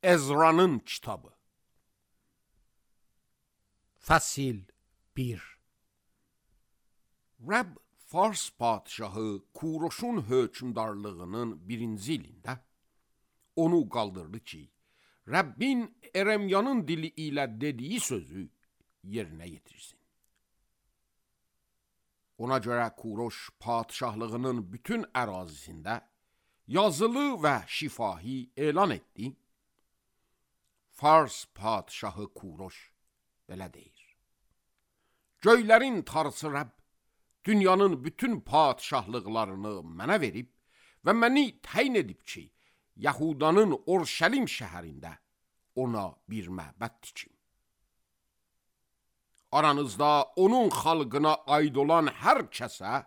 Ezra'nın kitabı. Fəsil 1. Rəbb Fars padişahı Kuroşun hökmdarlığının 1-ci ilində onu qaldırdı ki, Rəbbin Eremyanın dili ilə dediyi sözü yerinə yetirsin. Ona görə Kuroş padişahlığının bütün ərazisində yazılı və şifahi elan etdi. Fars padişahı Kuroş belə deyir: Göylərin tarısı Rəbb dünyanın bütün padişahlıqlarını mənə verib və məni təyin edib ki, Yahudanın Orşəlim şəhərində ona bir məbəd tikim. Aranızda onun xalqına aid olan hər kəsə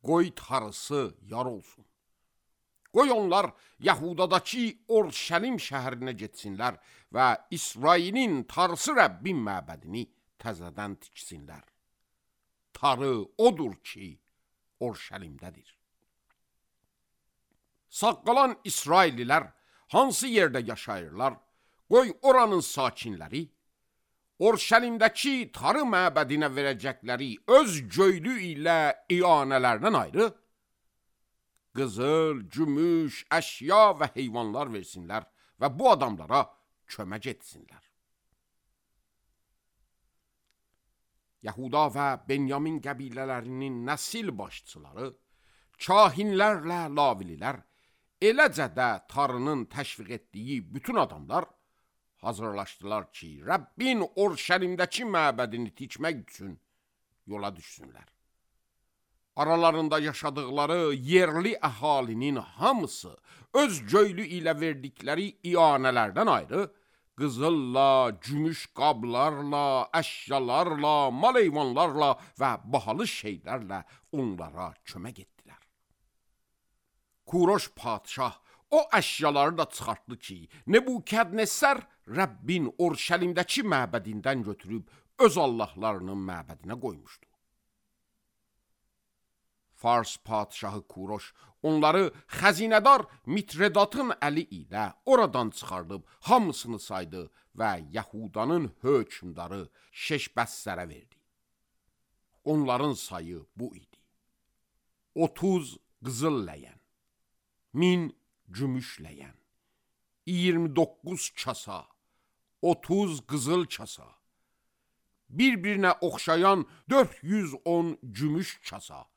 qoy tarısı yar olsun. Qoy onlar Yahudadakı Orşəlim şəhərinə getsinlər və İsrailin tarısı Rəbbin məbədini təzədən tiksinlər. Tarı odur ki, Orşəlimdədir. Sağ qalan İsraillilər hansı yerdə yaşayırlar, qoy oranın sakinləri Orşəlimdəki tarı məbədinə verəcəkləri öz göylü ilə iyanələrdən ayrı qızıl, gümüş, əşya və heyvanlar versinlər və bu adamlara kömək etsinlər. Yahuda və Benyamin qəbilələrinin nəsil başçıları, kahinlərlə lavililər, eləcə də tarının təşviq etdiyi bütün adamlar hazırlaşdılar ki, Rəbbin Orşəlimdəki məbədini tikmək üçün yola düşsünlər. Aralarında yaşadıkları yerli əhalinin hamısı öz göylü ilə verdikləri iyanələrdən ayrı, qızılla, gümüş qablarla, əşyalarla, mal heyvanlarla və bahalı şeylərlə onlara kömək etdilər. Kuroş padişah o əşyaları da çıxartdı ki, Nebukadnezar Rəbbin Orşəlimdəki məbədindən götürüb öz allahlarının məbədinə qoymuşdu. Fars padişahı Kuroş onları xəzinədar Mitredatın əli ilə oradan çıxardıb hamısını saydı və Yahudanın hökmdarı Şeşbəssərə verdi. Onların sayı bu idi: 30 qızıl ləyən, 1000 gümüş ləyən, 29 kasa, 30 qızıl kasa, bir-birinə oxşayan 410 gümüş kasa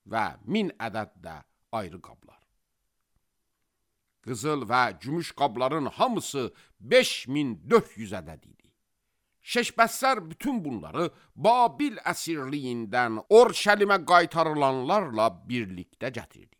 və 1000 ədəd də ayrı qablar. Qızıl və gümüş qabların hamısı 5400 ədəd idi. Şeşbəssər bütün bunları Babil əsirliyindən Orşəlimə qaytarılanlarla birlikdə gətirdi.